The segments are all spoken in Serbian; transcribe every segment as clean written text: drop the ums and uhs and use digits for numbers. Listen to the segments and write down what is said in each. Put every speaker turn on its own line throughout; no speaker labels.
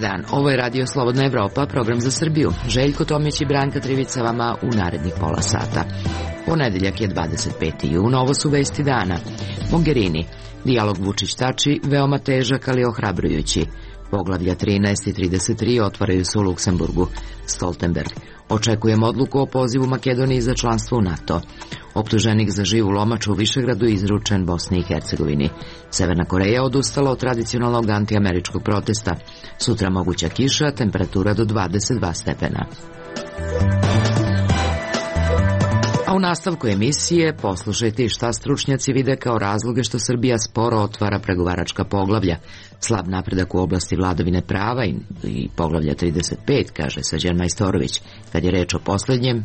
dan, ovo je Radio Slobodna Evropa, program za Srbiju. Željko Tomić i Branka Trivica vama u narednih pola sata. Ponedeljak je 25. jun, ovo su vesti dana. Mogherini, dijalog Vučić-Tači veoma težak, ali ohrabrujući. Poglavlja 13 i 33 otvaraju se u Luksemburgu. Stoltenberg, očekujem odluku o pozivu Makedoniji za članstvo u NATO. Optuženik za živu lomaču u Višegradu izručen Bosni i Hercegovini. Severna Koreja odustala od tradicionalnog antiameričkog protesta. Sutra moguća kiša, temperatura do 22 stepena. A u nastavku emisije poslušajte šta stručnjaci vide kao razloge što Srbija sporo otvara pregovaračka poglavlja. Slab napredak u oblasti vladavine prava i poglavlja 35, kaže Srđan Majstorović. Kad je reč o poslednjem,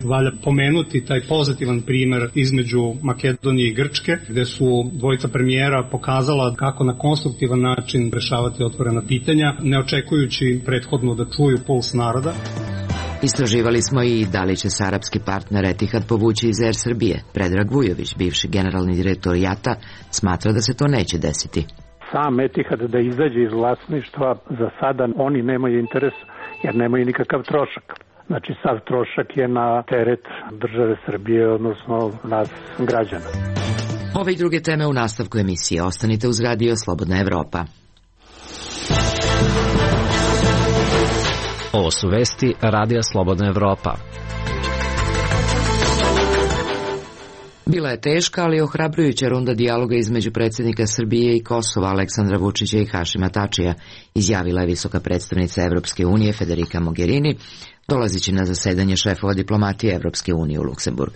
valja pomenuti taj pozitivan primer između Makedonije i Grčke, gde su dvojica premijera pokazala kako na konstruktivan način rešavati otvorena pitanja, ne očekujući prethodno da čuju puls naroda.
Istraživali smo i da li će se arapski partner Etihad povući iz Air Srbije. Predrag Vujović, bivši generalni direktor JAT-a, smatra da se to neće desiti.
Sam Etihad da izađe iz vlasništva, za sada oni nemaju interes jer nemaju nikakav trošak. Znači sav trošak je na teret države Srbije, odnosno nas građana.
Ove i druge teme u nastavku emisije. Ostanite uz Radio Slobodna Evropa.
Ovo su vesti Radija Slobodna Evropa.
Bila je teška, ali ohrabrujuća runda dijaloga između predsjednika Srbije i Kosova Aleksandra Vučića i Hašima Tačija, izjavila je visoka predstavnica Evropske unije Federica Mogherini, dolazići na zasedanje šefova diplomatije Evropske unije u Luksemburg.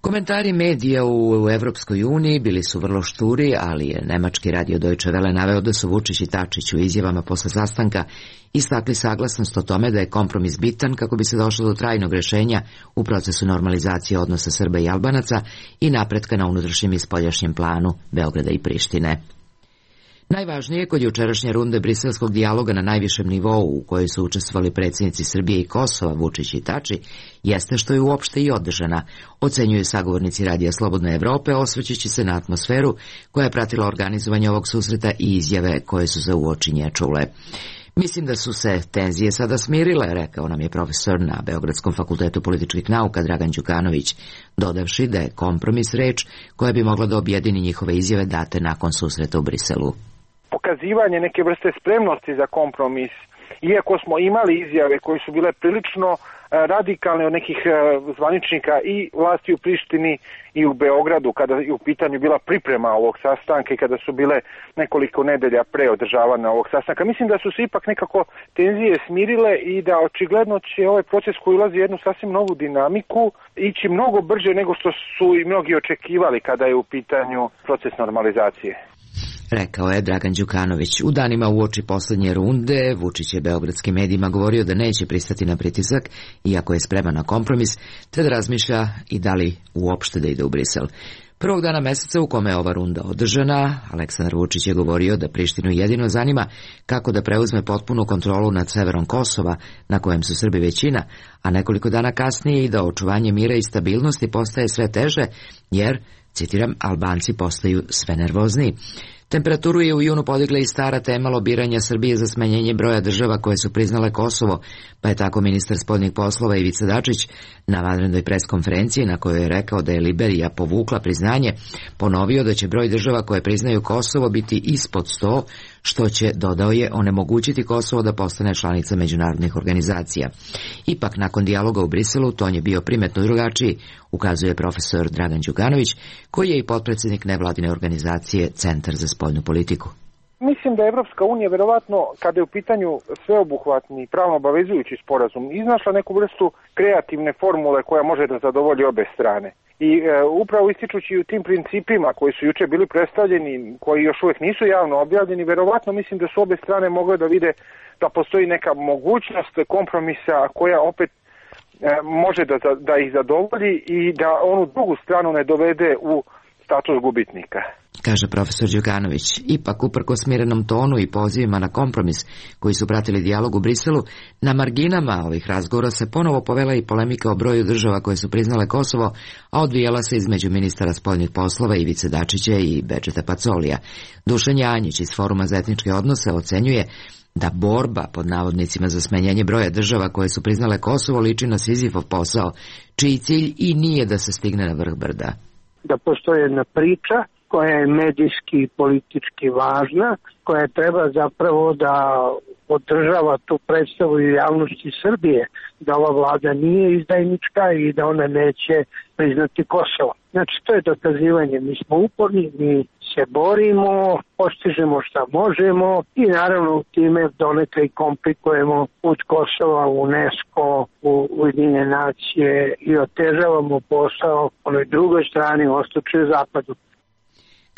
Komentari medija u Evropskoj uniji bili su vrlo šturi, ali je nemački radio Deutsche Welle naveo da su Vučić i Tačić u izjavama posle sastanka istakli saglasnost o tome da je kompromis bitan kako bi se došlo do trajnog rešenja u procesu normalizacije odnosa Srba i Albanaca i napretka na unutrašnjem i spoljašnjem planu Beograda i Prištine. Najvažnije kod jučerašnje runde briselskog dijaloga na najvišem nivou u kojoj su učestvovali predsjednici Srbije i Kosova, Vučić i Tači, jeste što je uopšte i održana, ocenjuju sagovornici Radija Slobodne Evrope, osvrćući se na atmosferu koja je pratila organizovanje ovog susreta i izjave koje su se uočinje čule. Mislim da su se tenzije sada smirile, rekao nam je profesor na Beogradskom fakultetu političkih nauka Dragan Đukanović, dodavši da je kompromis reč koja bi mogla da objedini njihove izjave date nakon susreta u Briselu.
Pokazivanje neke vrste spremnosti za kompromis, iako smo imali izjave koje su bile prilično radikalne od nekih zvaničnika i vlasti u Prištini i u Beogradu, kada je u pitanju bila priprema ovog sastanka i kada su bile nekoliko nedelja pre održavanja ovog sastanka. Mislim da su se ipak nekako tenzije smirile i da očigledno će ovaj proces koji ulazi jednu sasvim novu dinamiku ići mnogo brže nego što su i mnogi očekivali kada je u pitanju proces normalizacije.
Rekao je Dragan Đukanović. U danima uoči poslednje runde Vučić je beogradskim medijima govorio da neće pristati na pritisak, iako je spreman na kompromis, te da razmišlja i da li uopšte da ide u Brisel. Prvog dana meseca u kome je ova runda održana, Aleksandar Vučić je govorio da Prištinu jedino zanima kako da preuzme potpunu kontrolu nad severom Kosova, na kojem su Srbi većina, a nekoliko dana kasnije i da očuvanje mira i stabilnosti postaje sve teže, jer, citiram, Albanci postaju sve nervozniji. Temperaturu je u junu podigla i stara tema lobiranja Srbije za smanjenje broja država koje su priznale Kosovo, pa je tako ministar spoljnih poslova Ivica Dačić na vanrednoj preskonferenciji na kojoj je rekao da je Liberija povukla priznanje, ponovio da će broj država koje priznaju Kosovo biti ispod 100, što će, dodao je, onemogućiti Kosovo da postane članica međunarodnih organizacija. Ipak, nakon dijaloga u Briselu, ton je bio primetno drugačiji, ukazuje profesor Dragan Đukanović, koji je i potpredsjednik nevladine organizacije Centar za spoljnu politiku.
Mislim da je Evropska unija verovatno, kada je u pitanju sveobuhvatni pravno obavezujući sporazum, iznašla neku vrstu kreativne formule koja može da zadovolji obe strane. I upravo ističući u tim principima koji su juče bili predstavljeni, koji još uvijek nisu javno objavljeni, verovatno mislim da su obe strane mogle da vide da postoji neka mogućnost kompromisa koja opet može da ih zadovolji i da onu drugu stranu ne dovede u status gubitnika.
Kaže profesor Đukanović. Ipak, uprko smirenom tonu i pozivima na kompromis koji su pratili dijalog u Briselu, na marginama ovih razgovora se ponovo povela i polemika o broju država koje su priznale Kosovo, a odvijala se između ministara spoljnih poslova Ivice Dačića i Bedžeta Pacolija. Dušan Janjić iz Foruma za etničke odnose ocenjuje da borba pod navodnicima za smanjenje broja država koje su priznale Kosovo liči na Sizifov posao, čiji cilj i nije da se stigne na vrh brda.
Da postoji jedna priča koja je medijski i politički važna, koja treba zapravo da održava tu predstavu i javnosti Srbije, da ova vlada nije izdajnička i da ona neće priznati Kosovo. Znači, to je dokazivanje. Mi smo uporni, mi se borimo, postižemo šta možemo i naravno time donekle i komplikujemo put Kosova u UNESCO, u Ujedinjene nacije i otežavamo posao onoj drugoj strani, u istočnom i zapadu.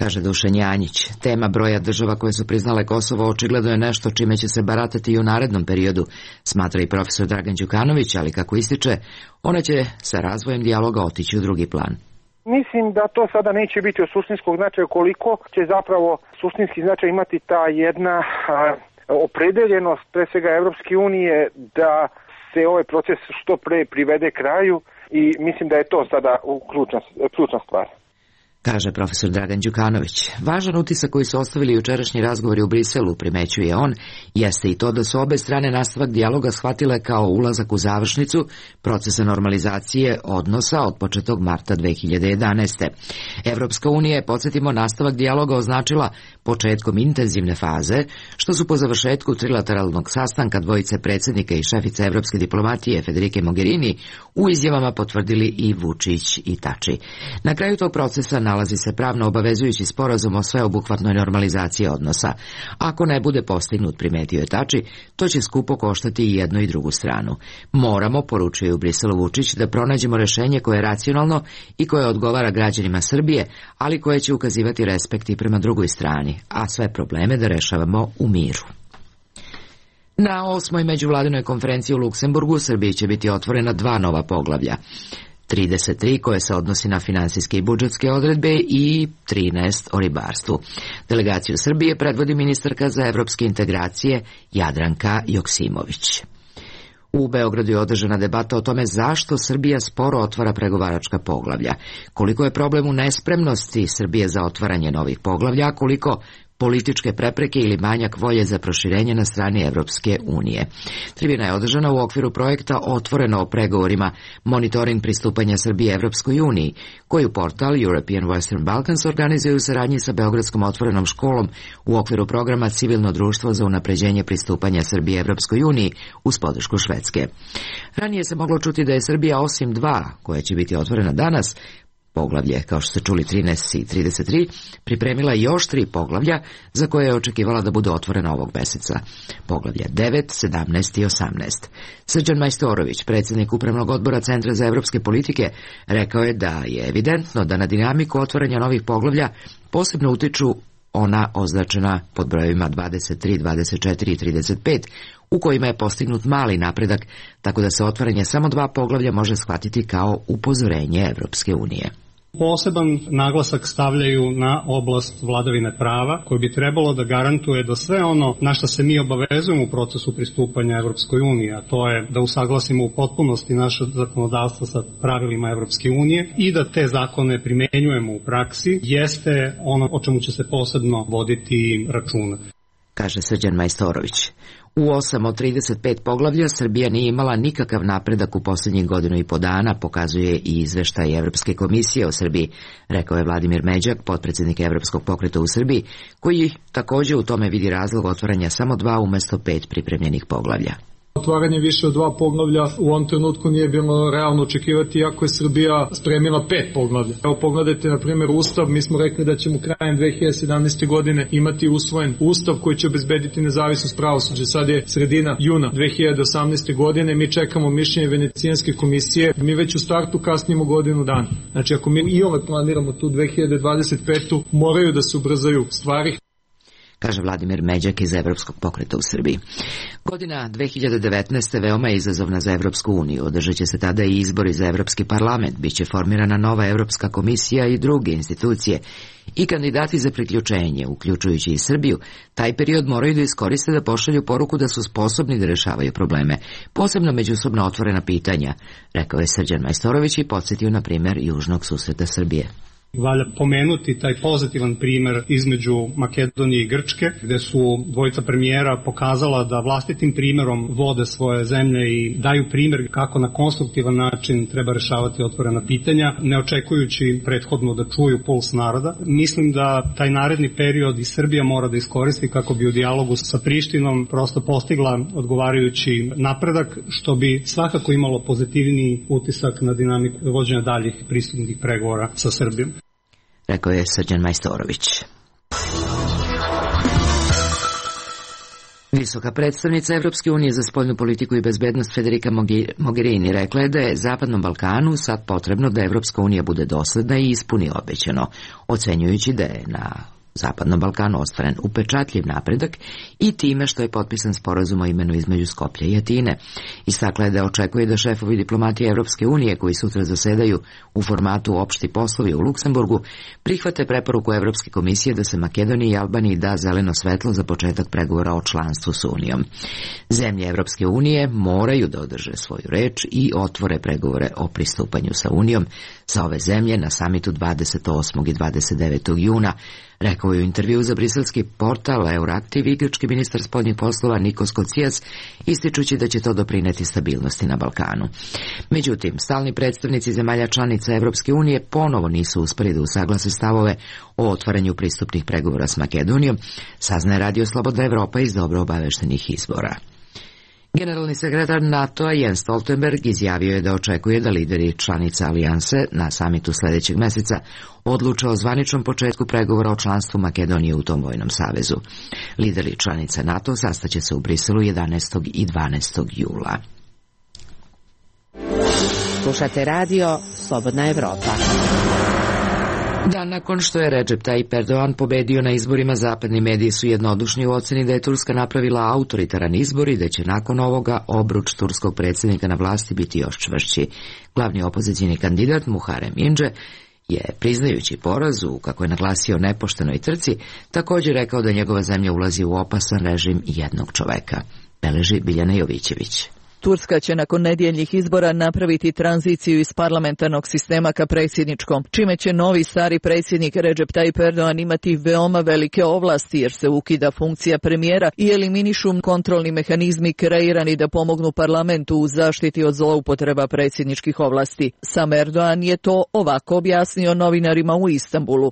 Kaže Dušan Janjić, tema broja država koje su priznale Kosovo očigledno je nešto čime će se baratati i u narednom periodu, smatra i profesor Dragan Đukanović, ali kako ističe, ona će sa razvojem dijaloga otići u drugi plan.
Mislim da to sada neće biti od suštinskog značaja, koliko će zapravo suštinski značaj imati ta jedna opredeljenost pre svega Evropske unije da se ovaj proces što pre privede kraju i mislim da je to sada ključna stvar.
Kaže profesor Dragan Đukanović. Važan utisak koji su ostavili jučerašnji razgovori u Briselu, primećuje on, jeste i to da su obe strane nastavak dijaloga shvatile kao ulazak u završnicu procesa normalizacije odnosa od početog marta 2011. Evropska unija je, podsjetimo, nastavak dijaloga označila početkom intenzivne faze, što su po završetku trilateralnog sastanka dvojice predsjednika i šefice evropske diplomatije Federike Mogherini u izjavama potvrdili i Vučić i Tači. Na kraju tog procesa nalazi se pravno obavezujući sporazum o sveobuhvatnoj normalizaciji odnosa. Ako ne bude postignut, primetio je Tači, to će skupo koštati i jednu i drugu stranu. Moramo, poručuje u Briselu Vučić, da pronađemo rešenje koje je racionalno i koje odgovara građanima Srbije, ali koje će ukazivati respekt i prema drugoj strani, a sve probleme da rešavamo u miru. Na 8. međuvladinoj konferenciji u Luksemburgu Srbiji će biti otvorena 2 nova poglavlja. 33 koje se odnosi na finansijske i budžetske odredbe i 13 o ribarstvu. Delegaciju Srbije predvodi ministarka za evropske integracije Jadranka Joksimović. U Beogradu je održana debata o tome zašto Srbija sporo otvara pregovaračka poglavlja, koliko je problem u nespremnosti Srbije za otvaranje novih poglavlja, a koliko političke prepreke ili manjak volje za proširenje na strani Evropske unije. Tribina je održana u okviru projekta Otvoreno o pregovorima, monitoring pristupanja Srbije Evropskoj uniji, koju portal European Western Balkans organizuje u saradnji sa Beogradskom otvorenom školom u okviru programa Civilno društvo za unapređenje pristupanja Srbije Evropskoj uniji uz podršku Švedske. Ranije se moglo čuti da je Srbija osim 2, koja će biti otvorena danas, poglavlje, kao što ste čuli 13 i 33, pripremila još 3 poglavlja za koje je očekivala da budu otvorena ovog meseca. Poglavlja 9, 17 i 18. Srđan Majstorović, predsjednik Upravnog odbora Centra za evropske politike, rekao je da je evidentno da na dinamiku otvaranja novih poglavlja posebno utiču ona označena pod brojevima 23, 24 i 35, u kojima je postignut mali napredak, tako da se otvaranje samo 2 poglavlja može shvatiti kao upozorenje Evropske unije.
Poseban naglasak stavljaju na oblast vladavine prava, koji bi trebalo da garantuje da sve ono na što se mi obavezujemo u procesu pristupanja Evropskoj uniji, a to je da usaglasimo u potpunosti naše zakonodavstvo sa pravilima Evropske unije i da te zakone primenjujemo u praksi, jeste ono o čemu će se posebno voditi računa.
Kaže Srđan Majstorović. U 8 od 35 poglavlja Srbija nije imala nikakav napredak u posljednjih 1.5 godina, pokazuje i izveštaj Evropske komisije o Srbiji, rekao je Vladimir Međak, potpredsjednik Evropskog pokreta u Srbiji, koji također u tome vidi razlog otvaranja samo 2 umesto 5 pripremljenih poglavlja.
Otvaranje više od 2 poglavlja u ovom trenutku nije bilo realno očekivati, iako je Srbija spremila 5 poglavlja. Evo pogledajte, na primjer, Ustav. Mi smo rekli da ćemo krajem 2017. godine imati usvojen Ustav koji će obezbediti nezavisnost pravosuđa. Sad je sredina juna 2018. godine, mi čekamo mišljenje Venecijanske komisije, mi već u startu kasnimo 1 godinu dana. Znači, ako mi i ove planiramo tu 2025. moraju da se ubrzaju stvari.
Kaže Vladimir Međak iz Evropskog pokreta u Srbiji. Godina 2019. veoma je izazovna za Evropsku uniju. Održat će se tada i izbori za Evropski parlament. Biće formirana nova Evropska komisija i druge institucije. I kandidati za priključenje, uključujući i Srbiju, taj period moraju da iskoriste da pošalju poruku da su sposobni da rešavaju probleme, posebno međusobno otvorena pitanja, rekao je Srđan Majstorović i podsjetio na primjer južnog susreta Srbije.
Valja pomenuti taj pozitivan primer između Makedonije i Grčke, gde su dvojica premijera pokazala da vlastitim primerom vode svoje zemlje i daju primer kako na konstruktivan način treba rešavati otvorena pitanja, ne očekujući prethodno da čuju puls naroda. Mislim da taj naredni period i Srbija mora da iskoristi kako bi u dijalogu sa Prištinom prosto postigla odgovarajući napredak, što bi svakako imalo pozitivniji utisak na dinamiku vođenja daljih pristupnih pregovora sa Srbijom.
Rekao je Srđan Majstorović. Visoka predstavnica Evropske unije za spoljnu politiku i bezbednost Federica Mogherini rekla je da je Zapadnom Balkanu sad potrebno da Evropska unija bude dosledna i ispuni obećano, ocenjujući da je na Zapadnom Balkanu ostvaren upečatljiv napredak i time što je potpisan sporazum o imenu između Skoplja i Atine. Istakla je da očekuje da šefovi diplomatije Evropske unije koji sutra zasedaju u formatu opšti poslovi u Luksemburgu prihvate preporuku Evropske komisije da se Makedoniji i Albaniji da zeleno svetlo za početak pregovora o članstvu s Unijom. Zemlje Evropske unije moraju da održe svoju reč i otvore pregovore o pristupanju sa Unijom za ove zemlje na samitu 28. i 29. juna, rekao je u intervju za briselski portal Euraktiv i grčki ministar spoljnih poslova Nikos Kocijas, ističući da će to doprineti stabilnosti na Balkanu. Međutim, stalni predstavnici zemalja članica Evropske unije ponovo nisu uspeli da usaglase stavove o otvaranju pristupnih pregovora s Makedonijom, saznaje Radio Slobodna Evropa iz dobro obaveštenih izvora. Generalni sekretar NATO-a Jens Stoltenberg izjavio je da očekuje da lideri članica alijanse na samitu sledećeg meseca odluče o zvaničnom početku pregovora o članstvu Makedonije u tom vojnom savezu. Lideri članica NATO sastaće se u Briselu 11. i 12. jula.
Slušate radio Slobodna Evropa.
Dan nakon što je Recep Tayyip Erdogan pobedio na izborima, zapadni mediji su jednodušni u oceni da je Turska napravila autoritaran izbor i da će nakon ovoga obruč turskog predsjednika na vlasti biti još čvršći. Glavni opozicijni kandidat Muharrem Ince je, priznajući porazu, kako je naglasio, nepoštenoj trci, također rekao da njegova zemlja ulazi u opasan režim jednog čoveka. Beleži Biljana Jovićević.
Turska će nakon nedjeljnih izbora napraviti tranziciju iz parlamentarnog sistema ka predsjedničkom, čime će novi stari predsjednik Recep Tayyip Erdogan imati veoma velike ovlasti jer se ukida funkcija premijera i eliminišu kontrolni mehanizmi kreirani da pomognu parlamentu u zaštiti od zloupotreba predsjedničkih ovlasti. Sam Erdogan je to ovako objasnio novinarima u Istanbulu.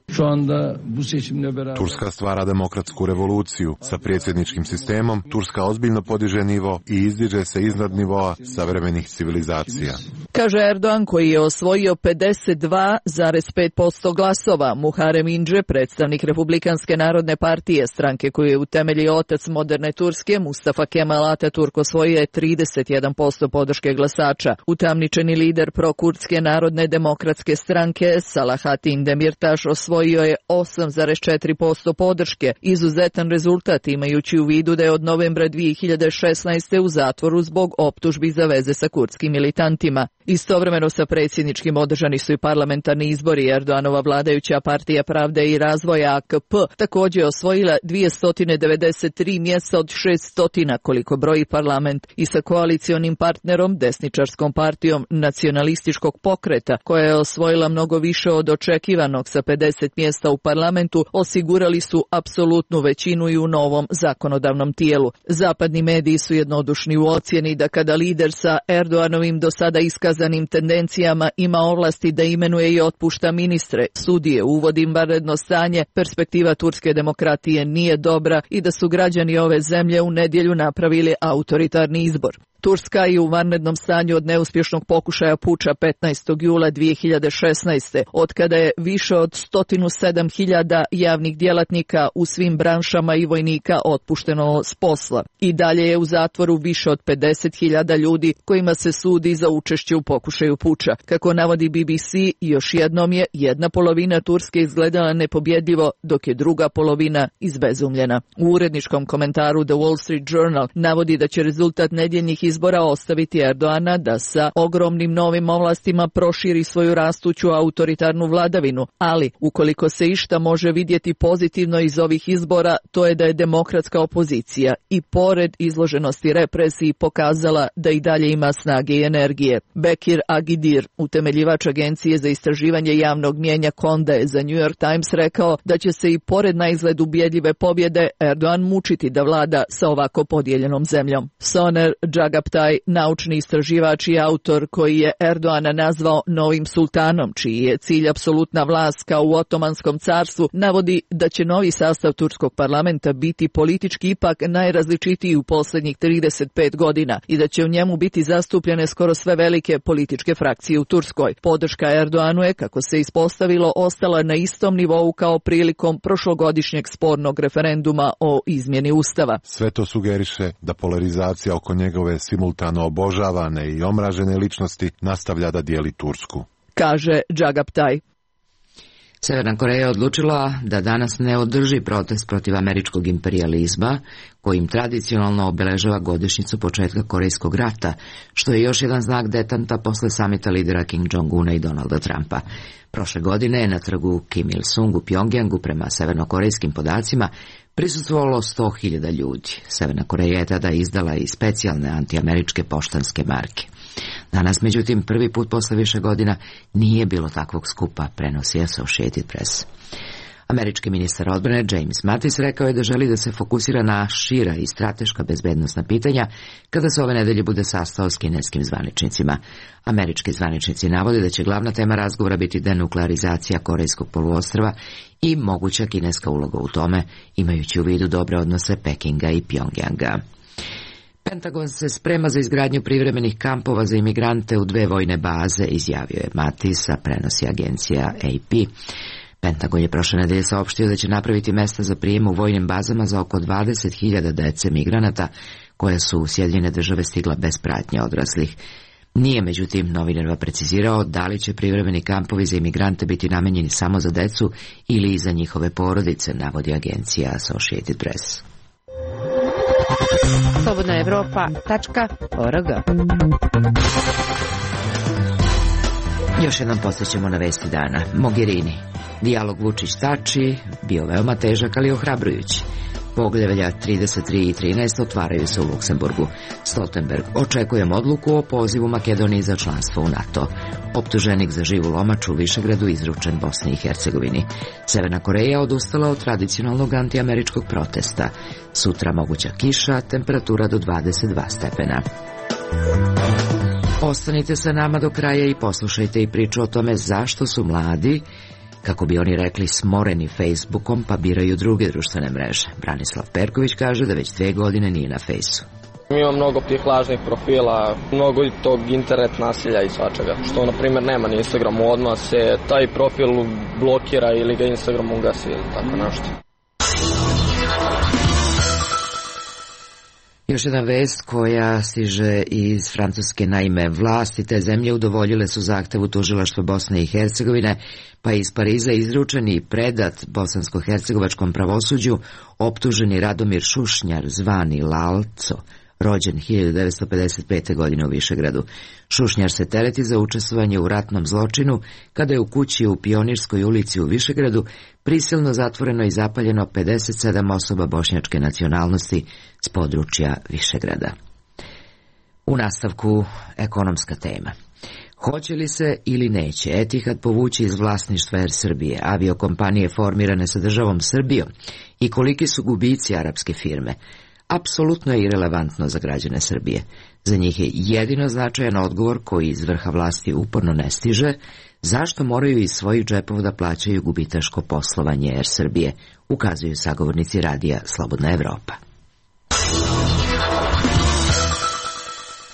Turska stvara demokratsku revoluciju. Sa predsjedničkim sistemom Turska ozbiljno podiže nivo i izdiže se iznad nivoa savremenih civilizacija.
Kaže Erdogan, koji je osvojio 52,5% glasova. Muharrem Ince, predstavnik Republikanske narodne partije, stranke koju je utemeljio otac moderne Turske, Mustafa Kemal Atatürk, osvojio je 31% podrške glasača. Utamničeni lider prokurdske narodne demokratske stranke Salahatin Demirtaš osvojio je 8,4% podrške. Izuzetan rezultat imajući u vidu da je od novembra 2016. u zatvoru zbog optužbi za veze sa kurdskim militantima. Istovremeno sa predsjedničkim održani su i parlamentarni izbori. Erdoganova vladajuća partija Pravde i razvoja AKP također je osvojila 293 mjesta od 600 koliko broji parlament i sa koalicionim partnerom, desničarskom partijom nacionalističkog pokreta, koja je osvojila mnogo više od očekivanog sa 50 mjesta u parlamentu, osigurali su apsolutnu većinu i u novom zakonodavnom tijelu. Zapadni mediji su jednodušni u ocjeni da kada lider sa Erdoganovim do sada iskazanim tendencijama ima ovlasti da imenuje i otpušta ministre, sudije, uvodi vanredno stanje, perspektiva turske demokratije nije dobra i da su građani ove zemlje u nedjelju napravili autoritarni izbor. Turska je u vanrednom stanju od neuspješnog pokušaja puča 15. jula 2016. Otkada je više od 107.000 javnih djelatnika u svim branšama i vojnika otpušteno s posla. I dalje je u zatvoru više od 50.000 ljudi kojima se sudi za učešće u pokušaju puča. Kako navodi BBC, još jednom je jedna polovina Turske izgledala nepobjedljivo, dok je druga polovina izbezumljena. U uredničkom komentaru The Wall Street Journal navodi da će rezultat nedjeljnih izbora ostaviti Erdoana da sa ogromnim novim ovlastima proširi svoju rastuću autoritarnu vladavinu, ali ukoliko se išta može vidjeti pozitivno iz ovih izbora, to je da je demokratska opozicija i pored izloženosti represiji pokazala da i dalje ima snage i energije. Bekir Agidir, utemeljivač agencije za istraživanje javnog mnijenja Konda, je za New York Times rekao da će se i pored na izgled ubjedljive pobjede Erdogan mučiti da vlada sa ovako podijeljenom zemljom. Soner Džagaptaj, naučni istraživač i autor koji je Erdoana nazvao novim sultanom, čiji je cilj apsolutna vlast kao u Otomanskom carstvu, navodi da će novi sastav turskog parlamenta biti politički ipak najrazličitiji u posljednjih 35 godina i da će u njemu biti zastupljene skoro sve velike političke frakcije u Turskoj. Podrška Erdoanu je, kako se ispostavilo, ostala na istom nivou kao prilikom prošlogodišnjeg spornog referenduma o izmjeni Ustava.
Sve to sugeriše da polarizacija oko njegove simultano obožavane i omražene ličnosti nastavlja da dijeli Tursku,
kaže Džagaptaj.
Severna Koreja je odlučila da danas ne održi protest protiv američkog imperijalizma, kojim tradicionalno obeležava godišnjicu početka Korejskog rata, što je još jedan znak detanta posle samita lidera Kim Jong-una i Donalda Trumpa. Prošle godine je na trgu Kim Il-sung u Pjongjangu, prema severnokorejskim podacima, prisustvovalo 100.000 ljudi. Severna Koreja je tada izdala i specijalne antiameričke poštanske marke. Danas, međutim, prvi put posle više godina nije bilo takvog skupa, prenosi Associated Press. Američki ministar odbrane James Mattis rekao je da želi da se fokusira na šira i strateška bezbednosna pitanja kada se ove nedelje bude sastao s kineskim zvaničnicima. Američki zvaničnici navode da će glavna tema razgovora biti denuklearizacija Korejskog poluostrva i moguća kineska uloga u tome, imajući u vidu dobre odnose Pekinga i Pjongjanga. Pentagon se sprema za izgradnju privremenih kampova za imigrante u 2 vojne baze, izjavio je Mattis, a prenosi agencija AP. Pentagon je prošle nedelje saopštio da će napraviti mesta za prijem u vojnim bazama za oko 20.000 dece migranata koje su u Sjedinjene Države stigla bez pratnje odraslih. Nije, međutim, novinarima precizirao da li će privremeni kampovi za imigrante biti namenjeni samo za decu ili i za njihove porodice, navodi agencija Associated Press.
Slobodna Evropa.org.
Još jednom podsjećamo na vesti dana. Mogherini. Dijalog Vučić-Tači bio veoma težak, ali ohrabrujući. Poglavlja 33 i 13 otvaraju se u Luksemburgu. Stoltenberg: očekujem odluku o pozivu Makedoniji za članstvo u NATO. Optuženik za živu lomač u Višegradu izručen Bosni i Hercegovini. Severna Koreja odustala od tradicionalnog antiameričkog protesta. Sutra moguća kiša, temperatura do 22 stepena. Ostanite sa nama do kraja i poslušajte i priču o tome zašto su mladi, kako bi oni rekli, smoreni Facebookom pa biraju druge društvene mreže. Branislav Perković kaže da već 2 godine nije na Fejsu.
Ima mnogo tih lažnih profila, mnogo tog internet nasilja i svačega, što na primjer nema na Instagramu, odmah se taj profil blokira ili ga Instagram ugasi ili tako nešto.
Još jedna vest koja stiže iz Francuske. Naime, vlasti te zemlje udovoljile su zahtevu tužilaštva Bosne i Hercegovine, pa je iz Pariza izručen i predat bosansko-hercegovačkom pravosuđu optuženi Radomir Šušnjar, zvani Lalco, rođen 1955. godine u Višegradu. Šušnjar se tereti za učestvovanje u ratnom zločinu kada je u kući u Pionirskoj ulici u Višegradu prisilno zatvoreno i zapaljeno 57 osoba bošnjačke nacionalnosti s područja Višegrada. U nastavku ekonomska tema. Hoće li se ili neće Etihad povući iz vlasništva Air Srbije, aviokompanije formirane sa državom Srbijom, i koliki su gubici arapske firme? Apsolutno je irelevantno za građane Srbije. Za njih je jedino značajan odgovor koji iz vrha vlasti uporno ne stiže: zašto moraju iz svojih džepova da plaćaju gubitaško poslovanje Air Srbije, ukazuju sagovornici radija Slobodna Evropa.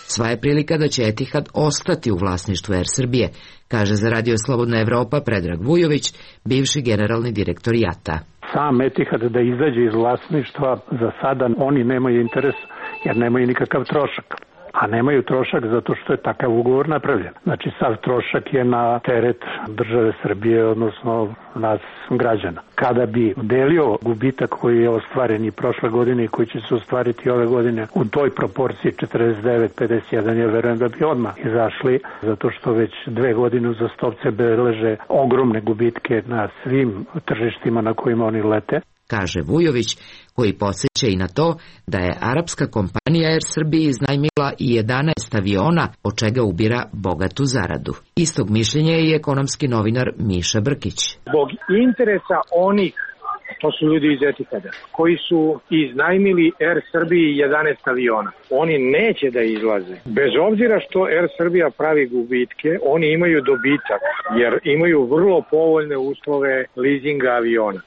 Sva je prilika da će Etihad ostati u vlasništvu Air Srbije, kaže za radio Slobodna Evropa Predrag Vujović, bivši generalni direktor JAT-a.
Sam Etihad da izađe iz vlasništva, za sada oni nemaju interes jer nemaju nikakav trošak. a nemaju trošak zato što je takav ugovor napravljen. Znači sav trošak je na teret države Srbije, odnosno nas građana. Kada bi delio gubitak koji je ostvaren i prošle godine i koji će se ostvariti ove godine u toj proporciji 49-51, ja verujem da bi odmah izašli, zato što već 2 godine uzastopce beleže ogromne gubitke na svim tržištima na kojima oni lete.
Kaže Vujović, koji podsjeća i na to da je arapska kompanija Air Srbiji iznajmila i 11 aviona, od čega ubira bogatu zaradu. Istog mišljenja je i ekonomski novinar Miša Brkić.
Zbog interesa onih, to su ljudi iz Etihada, koji su iznajmili Air Srbiji 11 aviona. Oni neće da izlaze. Bez obzira što Air Srbija pravi gubitke, oni imaju dobitak, jer imaju vrlo povoljne uslove leasinga aviona.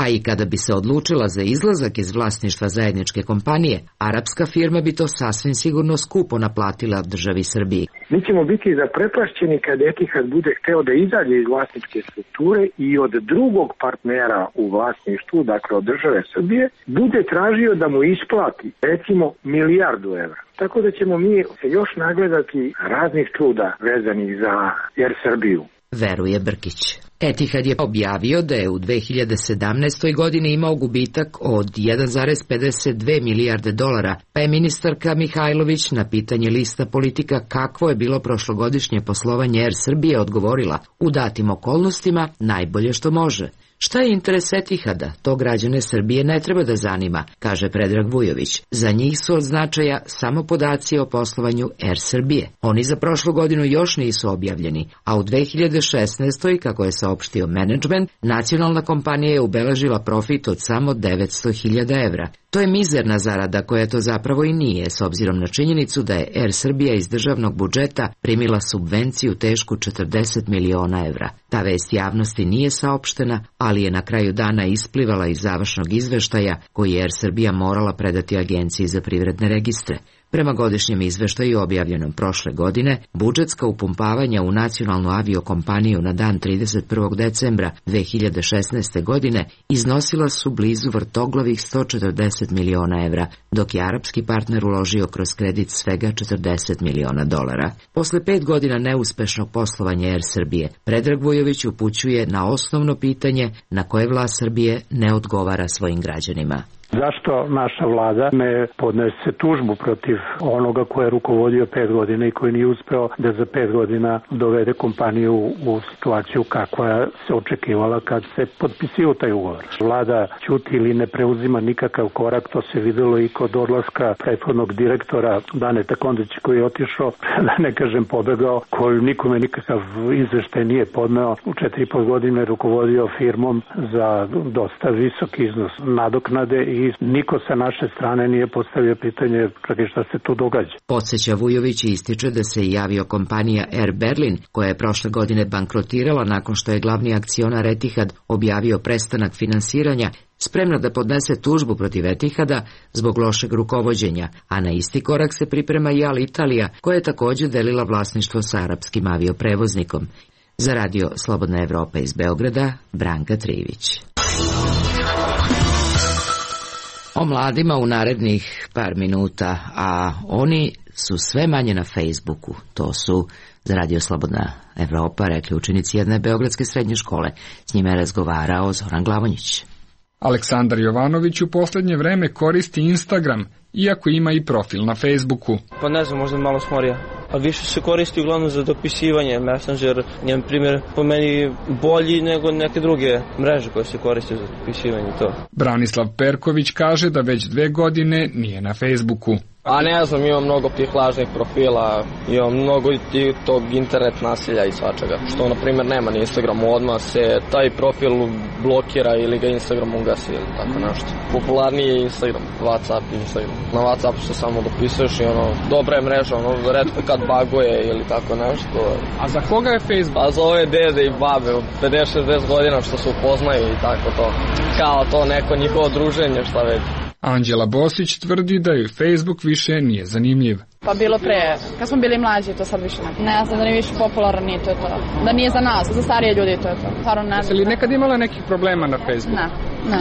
A i kada bi se odlučila za izlazak iz vlasništva zajedničke kompanije, arapska firma bi to sasvim sigurno skupo naplatila državi Srbiji.
Mi ćemo biti zaprepašćeni kad Etihad bude hteo da izađe iz vlasničke strukture i od drugog partnera u vlasništvu, dakle od države Srbije, bude tražio da mu isplati recimo €1.000.000.000. Tako da ćemo mi se još nagledati raznih čuda vezanih za Air Srbiju.
Veruje Brkić. Etihad je objavio da je u 2017. godini imao gubitak od 1,52 milijarde dolara, pa je ministarka Mihajlović na pitanje lista politika kakvo je bilo prošlogodišnje poslovanje Air Srbije odgovorila: u datim okolnostima najbolje što može. Šta je interes Etihada? To građane Srbije ne treba da zanima, kaže Predrag Vujović. Za njih su od značaja samo podaci o poslovanju Air Srbije. Oni za prošlu godinu još nisu objavljeni, a u 2016. kako je saopštio menadžment, nacionalna kompanija je ubeležila profit od samo 900.000 evra. To je mizerna zarada koja to zapravo i nije, s obzirom na činjenicu da je Air Srbija iz državnog budžeta primila subvenciju tešku 40 miliona evra. Ta vest javnosti nije saopštena, ali je na kraju dana isplivala iz završnog izveštaja koji je Air Srbija morala predati Agenciji za privredne registre. Prema godišnjem izveštaju objavljenom prošle godine, budžetska upumpavanja u nacionalnu aviokompaniju na dan 31. decembra 2016. godine iznosila su blizu vrtoglavih 140 miliona evra, dok je arapski partner uložio kroz kredit svega 40 miliona dolara. Posle 5 godina neuspešnog poslovanja Air Srbije, Predrag Vujović upućuje na osnovno pitanje na koje vlast Srbije ne odgovara svojim građanima.
Zašto naša vlada ne podnese tužbu protiv onoga ko je rukovodio 5 godina i koji nije uspeo da za 5 godina dovede kompaniju u situaciju kakva se očekivala kad se potpisio taj ugovor? Vlada ćuti ili ne preuzima nikakav korak, to se videlo i kod odlaska prethodnog direktora Daneta Kondića koji je otišao, da ne kažem pobegao, koji nikome nikakav izveštaj nije podneo. U 4,5 godine rukovodio firmom za dosta visok iznos nadoknade i niko sa naše strane nije postavio pitanje šta se tu događa.
Podseća Vujović i ističe da se i aviokompanija Air Berlin, koja je prošle godine bankrotirala nakon što je glavni akcionar Etihad objavio prestanak finansiranja, spremna da podnese tužbu protiv Etihada zbog lošeg rukovođenja, a na isti korak se priprema i Alitalia, koja je također delila vlasništvo sa arapskim avioprevoznikom. Za radio Slobodna Evropa iz Beograda, Branka Trivić. O mladima u narednih par minuta, a oni su sve manje na Facebooku. To su za radio Slobodna Evropa rekli učenici jedne beogradske srednje škole. S njima je razgovarao Zoran Glavonjić.
Aleksandar Jovanović u poslednje vreme koristi Instagram, iako ima i profil na Facebooku.
Pa ne znam, možda malo smorija. A više se koristi uglavnom za dopisivanje. Messenger je, na primjer, po meni bolji nego neke druge mreže koje se koriste za dopisivanje to.
Branislav Perković kaže da već 2 godine nije na Facebooku.
A ne znam, imam mnogo tih lažnih profila, imam mnogo tog internet nasilja i svačega, što na primjer nema na Instagramu, odmah se taj profil blokira ili ga Instagram ugasi ili tako nešto. Popularniji je Instagram, Instagram. Na Whatsappu se samo dopisuješ i dobra je mreža, retko kad baguje ili tako nešto.
A za koga je Facebook?
A za ove dede i babe od 50-60 godina što se upoznaju i tako to. Kao to neko njihovo druženje, šta već.
Anđela Bosić tvrdi da joj Facebook više nije zanimljiv.
Pa bilo pre, kad smo bili mlađi, to sad više ne. Ne znam da nije više popularan, nije to. Da nije za nas, za starije ljudi to je to. Stvarno ne znam.
Jesi li nekad imala nekih problema na Facebooku?
Ne.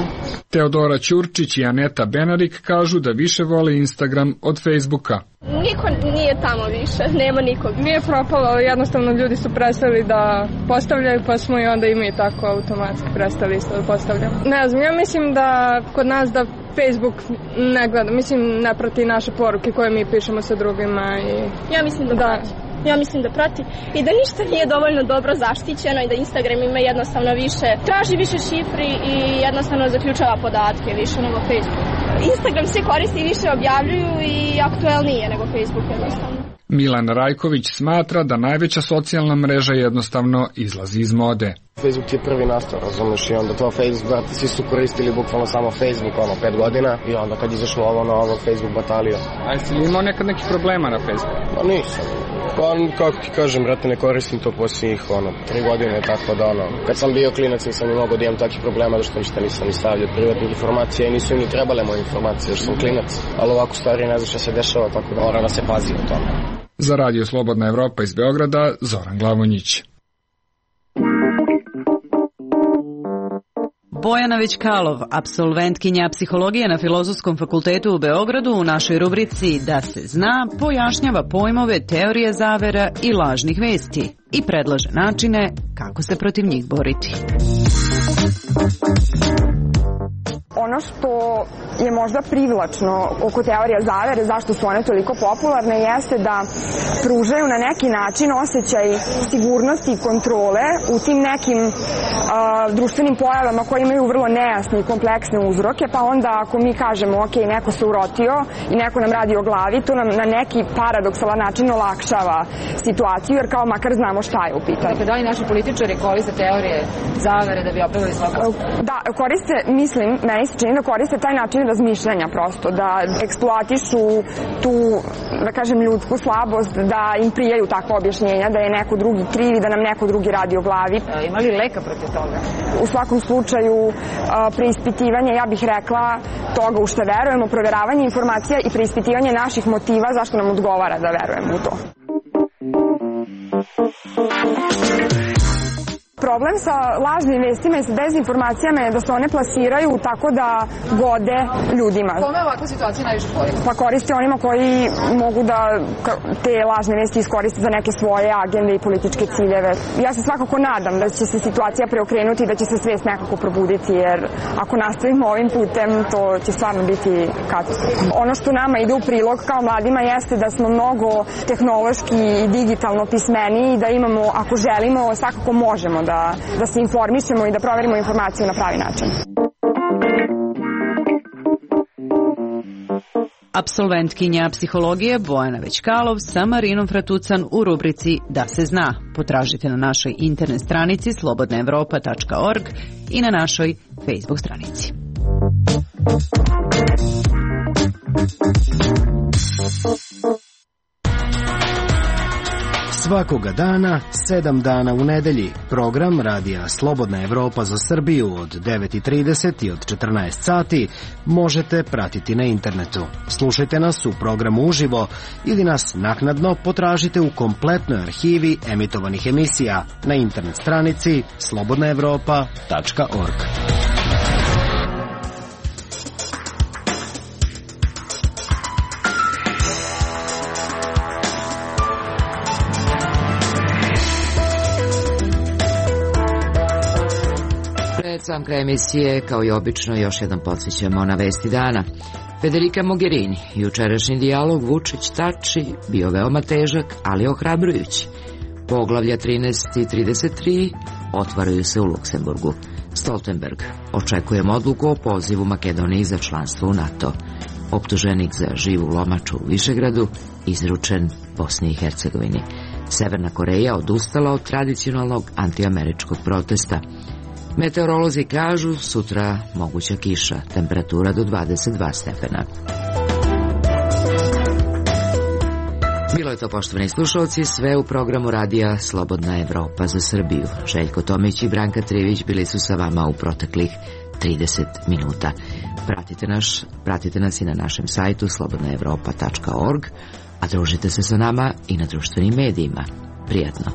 Teodora Ćurčić i Aneta Benarik kažu da više vole Instagram od Facebooka.
niko nije tamo više, nema nikog.
Nije propalo, jednostavno ljudi su prestali da postavljaju, pa smo i onda i mi tako automatski prestali isto da postavljamo. Ne znam, ja mislim da kod nas da Facebook ne gleda, mislim ne prati naše poruke koje mi pišemo sa drugima.
Ja mislim da prati. Ja mislim da prati i da ništa nije dovoljno dobro zaštićeno i da Instagram ima jednostavno više, traži više šifri i jednostavno zaključava podatke više nego Facebook. Instagram svi koristi i više objavljuju i aktuelnije nego Facebook jednostavno.
Milan Rajković smatra da najveća socijalna mreža jednostavno izlazi iz mode.
Facebook ti je prvi nastao, razumiješ, i onda to Facebook, brate, svi su koristili bukvalno samo Facebook, 5 godina, i onda kad izašlo ovo novo, Facebook batalio.
A jesi li imao nekad nekih problema na Facebooku?
Ma nisam. Kako ti kažem, brate, ne koristim to posljednjih, 3 godine, tako da, kad sam bio klinac nisam ni mogao da imam takvih problema, da što ništa nisam ni stavljao privatnih informacija i nisu ni trebale moje informacije, jer sam klinac, ali ovako stvari ne znam šta se dešava, tako da mora da se pazi o tome.
Za Radio Slobodna Evropa iz Beograda, Zoran Glavonjić.
Bojana Većkalov, apsolventkinja psihologije na Filozofskom fakultetu u Beogradu, u našoj rubrici Da se zna, pojašnjava pojmove teorije zavera i lažnih vesti i predlaže načine kako se protiv njih boriti.
Ono što je možda privlačno oko teorija zavere, zašto su one toliko popularne, jeste da pružaju na neki način osjećaj sigurnosti i kontrole u tim nekim društvenim pojavama koje imaju vrlo nejasne i kompleksne uzroke, pa onda ako mi kažemo ok, neko se urotio i neko nam radi o glavi, to nam na neki paradoksalan način olakšava situaciju, jer kao makar znamo šta je u pitanju.
Dakle, da li naši političari koriste teorije zavere da bi opravili svoje postupak?
Da, koriste, mislim, meni se čini da koriste taj način razmišljanja prosto, da eksploatišu tu, da kažem, ljudsku slabost, da im prijaju takva objašnjenja, da je neko drugi kriv i da nam neko drugi radi o glavi.
Ima li leka protiv toga?
U svakom slučaju, preispitivanje, ja bih rekla, toga u što verujemo, proveravanje informacija i preispitivanje naših motiva zašto nam odgovara da verujemo u to. Problem sa lažnim vestima i sa dezinformacijama je da se one plasiraju tako da gode ljudima.
Kome ovakva situacija najviše koristi?
Pa koristi onima koji mogu da te lažne vesti iskoriste za neke svoje agende i političke ciljeve. Ja se svakako nadam da će se situacija preokrenuti i da će se svest nekako probuditi, jer ako nastavimo ovim putem, to će stvarno biti katastrofalno. Ono što nama ide u prilog kao mladima jeste da smo mnogo tehnološki i digitalno pismeniji i da imamo, ako želimo, svakako možemo da se informišemo i da proverimo informaciju na pravi način.
Apsolventkinja psihologije Bojana Većkalov sa Marinom Fratucan u rubrici Da se zna. Potražite na našoj internet stranici slobodnaevropa.org i na našoj Facebook stranici.
Svakoga dana, 7 dana u nedelji, program radija Slobodna Evropa za Srbiju od 9:30 i od 14 sati možete pratiti na internetu. Slušajte nas u programu uživo ili nas naknadno potražite u kompletnoj arhivi emitovanih emisija na internet stranici slobodnaevropa.org.
Sam kraj emisije, kao i obično, još jedan podsjećamo na vesti dana. Federica Mogherini, jučerašnji dijalog Vučić-Tači bio veoma težak, ali ohrabrujući. Poglavlja 13 i 33 otvaraju se u Luksemburgu. Stoltenberg, očekujemo odluku o pozivu Makedoniji za članstvo u NATO. Optuženik za živu lomaču u Višegradu izručen Bosni i Hercegovini. Severna Koreja odustala od tradicionalnog antiameričkog protesta. Meteorolozi kažu sutra moguća kiša, temperatura do 22 stepena. Bilo je to, poštovani slušalci, sve u programu radija Slobodna Evropa za Srbiju. Željko Tomić i Branka Trivić bili su sa vama u proteklih 30 minuta. Pratite nas i na našem sajtu slobodnaevropa.org, a družite se sa nama i na društvenim medijima. Prijatno.